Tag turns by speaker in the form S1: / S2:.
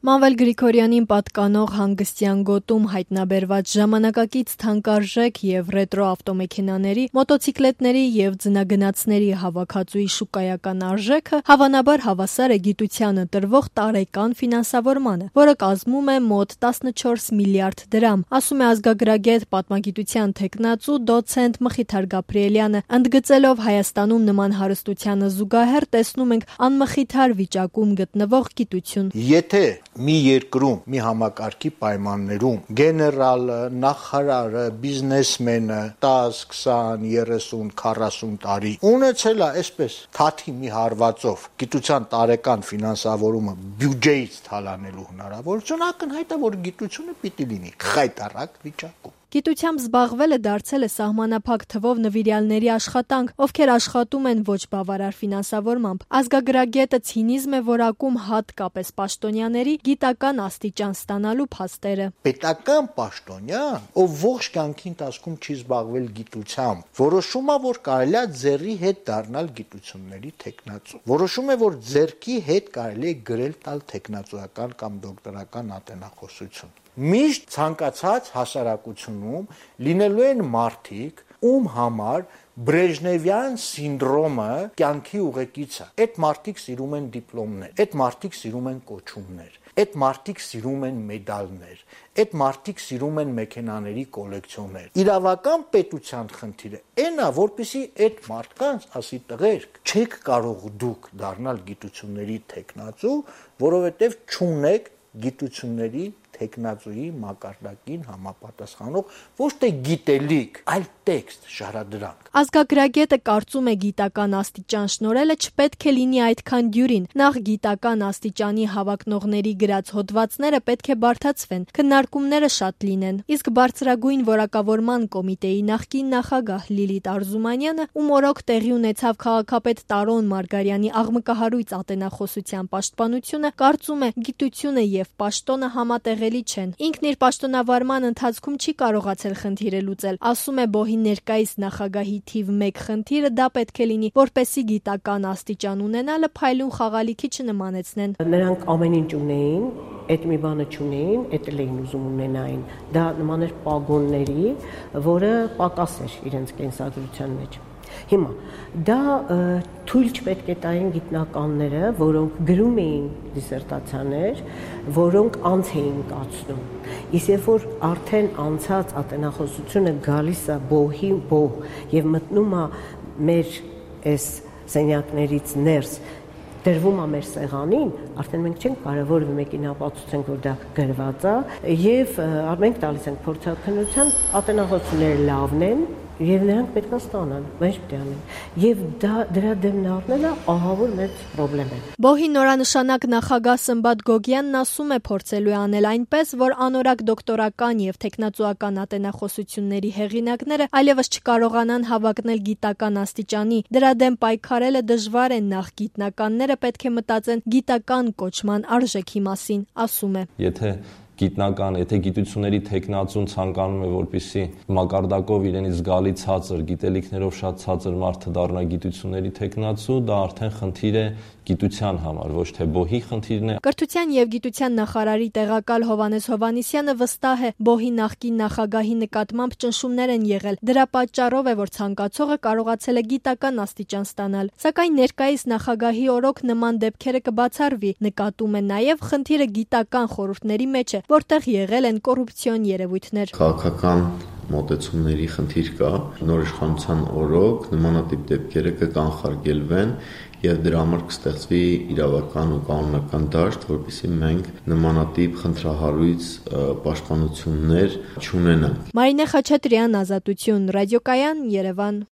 S1: Մանվել Գրիգորյանին պատկանող հանգստյան գոտում հայտնաբերված ժամանակակից թանկարժեք և ռետրո ավտոմեքենաների, մոտոցիկլետների և ձնագնացների հավաքածուի շուկայական արժեքը հավանաբար հավասար է գիտությանը տրվող տարեկան ֆինանսավորմանը, որը կազմում է մոտ 14 միլիարդ դրամ, ասում է ազգագրագետ, պատմագիտության թեկնածու դոցենտ Մխիթար Գաբրիելյանը, ընդգծելով Հայաստանում նման հարստությանը զուգահեռ տեսնում ենք անմխիթար վիճակում գտնվող գիտություն։
S2: Եթե մի երկրում, մի համակարգի պայմաններում գեներալը, նախարարը, բիզնեսմենը 10, 20, 30, 40 տարի ունեցել է այսպես թաթի մի հարվածով գիտության տարեկան ֆինանսավորումը բյուջեից թալանելու հնարավորություն, ակնհայտ է, որ գիտությունը պիտի լինի խայտառակ վիճակում։
S1: Գիտությամբ զբաղվելը դարձել է սահմանափակ թվով նվիրյալների աշխատանք, ովքեր աշխատում են ոչ բավարար ֆինանսավորմամբ։ Ազգագրագետը ցինիզմ է որակում հատկապես պաշտոնյաների գիտական աստիճան ստանալու փաստերը։
S2: Պետական պաշտոնյան, ով ողջ կյանքի ընթացքում չի զբաղվել գիտությամբ, որոշում է, որ կարելի է ձեռի հետ դառնալ գիտությունների թեկնածու։ Որոշում է, որ ձեռքի հետ կարելի է գրել տալ թեկնածուական կամ դոկտորական ատենախոսություն։ Միշտ ցանկացած հասարակությունում լինելու են մարդիկ, ում համար Բրեժնևյան սինդրոմը կյանքի ուղեկից է։ Այդ մարդիկ սիրում են դիպլոմներ, այդ մարդիկ սիրում են կոչումներ, այդ մարդիկ սիրում են մեդալներ, այդ մարդիկ սիրում են մեքենաների կոլեկցիոներ։ Իրավական պետության խնդիրը այն է, որպեսզի այդ մարդկանց ասի տղերք, չեք կարող դուք դառնալ գիտությունների թեկնածու, որովհետև չունեք գիտությունների թեկնածուի մակարդակին համապատասխանող ոչ թե գիտելիք, այլ տեքստ, շարադրանք։
S1: Ազգագրագետը կարծում է գիտական աստիճան շնորհելը չպետք է լինի այդքան դյուրին։ Նախ գիտական աստիճանի հավակնողների գրած հոդվածները պետք է բարդացվեն, քննարկումները շատ լինեն։ Իսկ բարձրագույն որակավորման կոմիտեի նախկին նախագահ Լիլիթ Արզումանյանը, ում օրոք տեղի ունեցավ քաղաքապետ Տարոն Մարգարյանի աղմկահարույց ատենախոսության պաշտպանությունը, կարծում է գիտությունը և պաշտոնը համատեղելի չեն։ Ինքն իր պաշտոնավարման ընթացքում չի կարողացել խնդիրը լուծել, ասում է Բոհի ներկայիս նախագահի թիվ 1 խնդիրը դա պետք է լինի, որպեսզի գիտական աստիճան ունենալը փայլուն խաղալիքի չնմանեցնեն։
S3: Նրանք ամեն ինչ ունեին, այդ մի բանը չունեին, այդ էլ էին ուզում ունենային։ Դա նման էր պագոնների, որը պակաս էր իրենց կենսագրության մեջ։ Հիմա դա թույլ չպետք է տային գիտնականները, որոնք գրում էին դիսերտացիաներ, որոնք անց էին կացնում։ Իսկ երբ որ արդեն անցած ատենախոսությունը գալիս է բոհի եւ մտնում է մեր այս սենյակներից ներս, դրվում է մեր սեղանին, արդեն մենք չենք կարող մեկին ապացուցենք, որ դա գրված է, եւ մենք տալիս ենք փորձաքննության, ատենախոսությունները լավն են, եւ նրանք պետք է ստանան, ոչ պետք է անեն։ Եվ դրա դեմն առնելը ահավոր մեծ խնդրեմ է։
S1: Բոհի նորանշանակ նախագահ Սմբատ Գոգյանն ասում է փորձելու է անել այնպես, որ անորակ դոկտորական եւ թեկնածուական ատենախոսությունների հեղինակները այլևս չկարողանան հավակնել գիտական աստիճանի։ Դրա դեմ պայքարելը դժվար է, նախ գիտնականները պետք է մտածեն գիտական կոչման արժեքի մասին, ասում է։
S4: Եթե գիտությունների թեկնածուն ցանկանում է, որպեսզի մակարդակով իրենից զգալի ցածր, գիտելիքներով շատ ցածր մարդը դառնա գիտությունների թեկնածու, դա արդեն խնդիր է գիտության համար, ոչ թե բոհի խնդիրն է։
S1: Կրթության եւ գիտության նախարարի տեղակալ Հովհաննես Հովհաննիսյանը վստահ է, բոհի նախկին նախագահի նկատմամբ ճնշումներ են եղել։ Դրա պատճառով է, որ ցանկացողը կարողացել է գիտական աստիճան ստանալ։ Սակայն ներկայիս նախագահի օրոք նման դեպքերը կբացառվի, նկատում է նաեւ խնդիրը գիտական խորհուրդների մեջ է, որտեղ եղել են կոռուպցիոն երևույթներ։
S5: Քաղաքական մոտեցումների խնդիր կա, նոր իշխանության օրոք նմանատիպ դեպքերը կկանխարգելվեն եւ դրա համար կստեղծվի իրավական ու կանոնական դաշտ, որպեսզի մենք նմանատիպ խնդրահարույց պաշտպանություններ չունենանք։
S1: Մարինե Խաչատրյան, Ազատություն, Ռադիոկայան, Երևան։